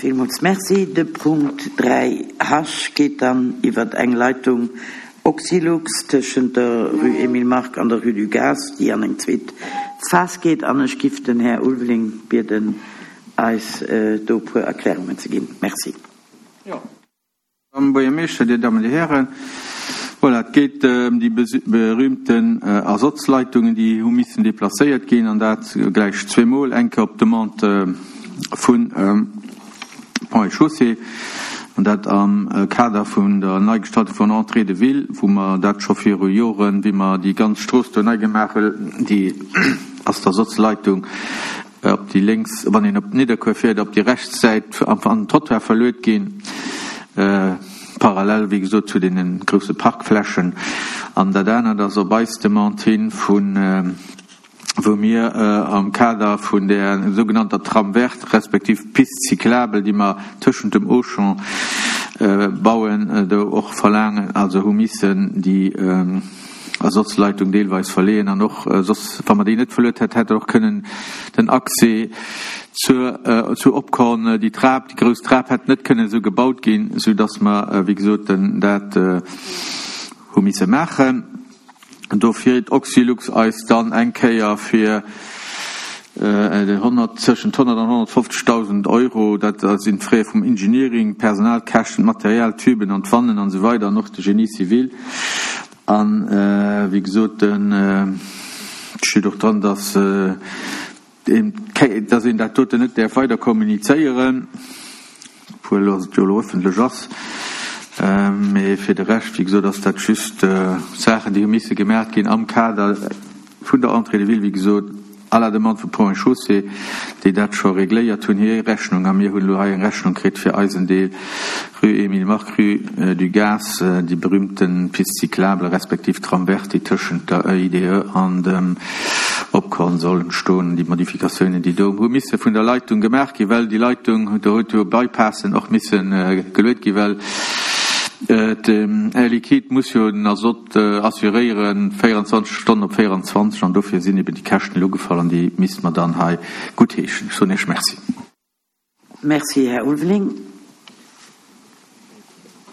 Villmools Merci. De Punkt 3 H geet dann iwwer eng Leitung Oxilux tëschent der Rue Emile Mark an der Rue du Gaz, déi an eng zweet Phas geet. An ech giff den Här Ulveling bieden, eis do e puer Erklärungen ze ginn. Merci. Jo. Madame Buergermeeschter, Dir Dammen, Dir Hären, voilà, et geet ëm déi berühmten Ersatzleitungen, déi hu missen déplacéiert ginn, an dat gläich zweemol, eng Kéier op Demande vun Ponts et Chaussées, an dat am Kader vun der Neigestaltung vun Entrée de ville, wou mer dat scho viru Joren, wéi mer déi ganz Strooss do nei gemaach hunn, déi ass d'Ersatzleitung op déi lénks, wann een op Nidderkuer fiert, op déi rechts Säit an den Trottoir verluet ginn, parallel wéi gesot zu deene grousse Parkflächen. An dat anert ass op eis Demande hin, vu wou mir am Kader vun där sougenannter Trame verte respektiv Piste cyclable, déi mer tëschent dem Auchan bauen, do och verlaangen, also hu missen déi, Ersatzleitung deelweis verleeën an och soss, wa mer déi net verluet hätt, hätt och kënnen den Accès zur zu Opkorn, déi Trap, déi grouss Trap hätt net kënnen esou gebaut ginn, sou dass mer, wéi gesot, dat hu misse maachen. Do freet Oxylux eis dann eng Kéier fir 100, tëschent 100 an 150.000 Euro, dat sinn d'Frais vum Engineering, d'Personalkäschten, d'Material, d'Tüben an d'Wannen an esou weider an och de Génie civil. An, wéi gesot, et steet och dran, dass een, dass een dat doten net däerf weider kommunizéieren, obwuel dass et jo elo ëffentlech ass. Mee fir de Rescht, wéi gesot, ass dat just Saachen, déi hu misse gemaach ginn am Kader vun der Entrée de ville, wéi gesot, à la demande vu Ponts et Chaussées, déi dat scho regléiert hunn, hir Rechnung. A mir hunn elo hei eng Rechnung kritt fir eisen Deel, rue Émile Mark, rue du Gaz, déi berühmte Piste cyclable respektiv Trame verte, déi tëschent der EIDE an dem Opkorn soll entstoen, déi Modifikatiounen, déi do hu misse vun der Leitung gemaach ginn, well déi Leitung, do huet jo Bypassen och misse geluet ginn, well d'Air Liquide muss jo den Azot assuréieren, 24 Stonnen op 24, an dofir sinn eben déi Käschten elo ugefall an déi misste mer dann hei guttheeschen. Ech soen Iech Merci. Merci, Här Ulveling.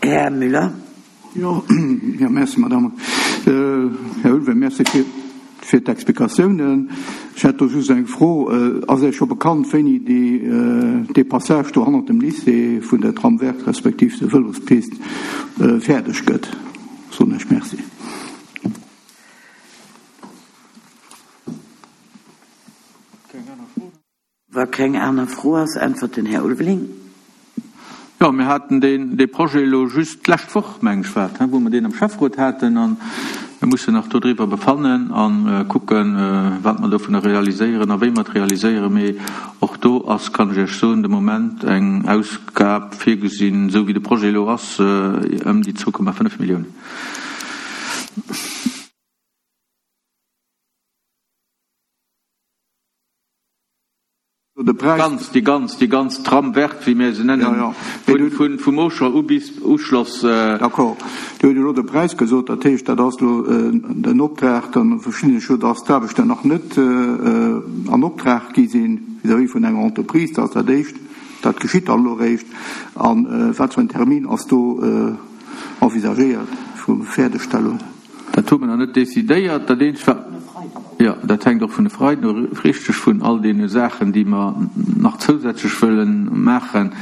Här Müller. Jo, jo, merci, Madame. Här Ulveling, merci fir, fir d'Explikatiounen. Ech hätt do just eng Fro. Ass Iech scho bekannt, wéini déi, dee Passage do hannert dem Lycée vun der Trame verte respektiv der Vëlospist fäerdeg gëtt? Soen ech Merci. Wa keng aner Fro ass, äntwert den Här Ulveling. Jo, mir haten deen, dee Projet elo just d'lescht Woch, meng ech war et, wou mer deen am Schäfferot haten. A mir mussen nach dodriwwer befannen a kucken, wat mer dovunner realiséieren a wéi mer et realiséieren. Mee och do ass, kann ech Iech soen, de Moment eng Ausgab virgesinn, esou wéi de Projet elo ass, ëm déi 2,5 Milliounen. Ganz, déi ganz, déi ganz Trame verte, wéi mir se nennen, vun, vum Auchan u bis Uschloss. D'accord. Dir hutt elo de Präis gesot, dat heescht, dat ass elo den Optrag. Dann verstinn ech jo, dass d'Aarbechten nach net an Optrag gi sinn vis-à-vis vun enger Entreprise. Dat ass dat Éischt. Dat geschitt dann elo eréischt. A wat fir en Termin ass do envisagéiert vu Fäerdegstellung? Dat hu mer nach net decidéiert. Dat eenzegt wat, jo, dat hänkt och vun de Frais of, richteg, vun all deene Saachen, déi mer nach zousätzlech wëlle maachen.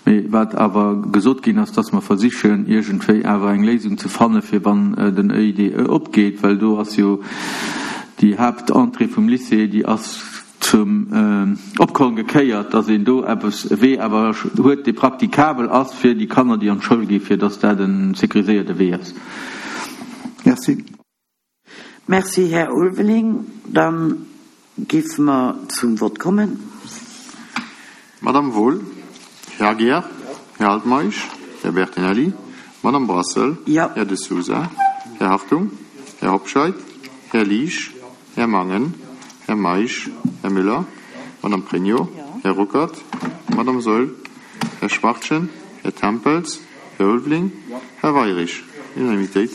Mee wat awer gesot ginn ass, dass mer versichen, iergendwéi awer eng Léisung ze fanne fir wann den EIDE opgeet, well do ass jo déi Haaptentrée vum Lycée, déi ass zum Opkorn gekéiert, dass een do eppes, e Wee awer huet, dee praktikabel ass fir déi Kanner, déi an d'Schoul ginn, fir dass dat e sécuriséierte Wee ass. Merci. Merci, Här Ulveling. Da géife mer zum Vott kommen. Madame Wohl, Här Aguiar, Här Altmeisch, Här Bertinelli, Madame Brassel, Här De Sousa, Här Hartung, Här Hobscheit, Här Liesch, Här Mangen, Här Meisch, Här Müller, Madame Pregno, Här Ruckert, Madame Saeul, Här Schwachtgen, Här Tempels, Här Ulveling, Här Weirich. Unanimitéit.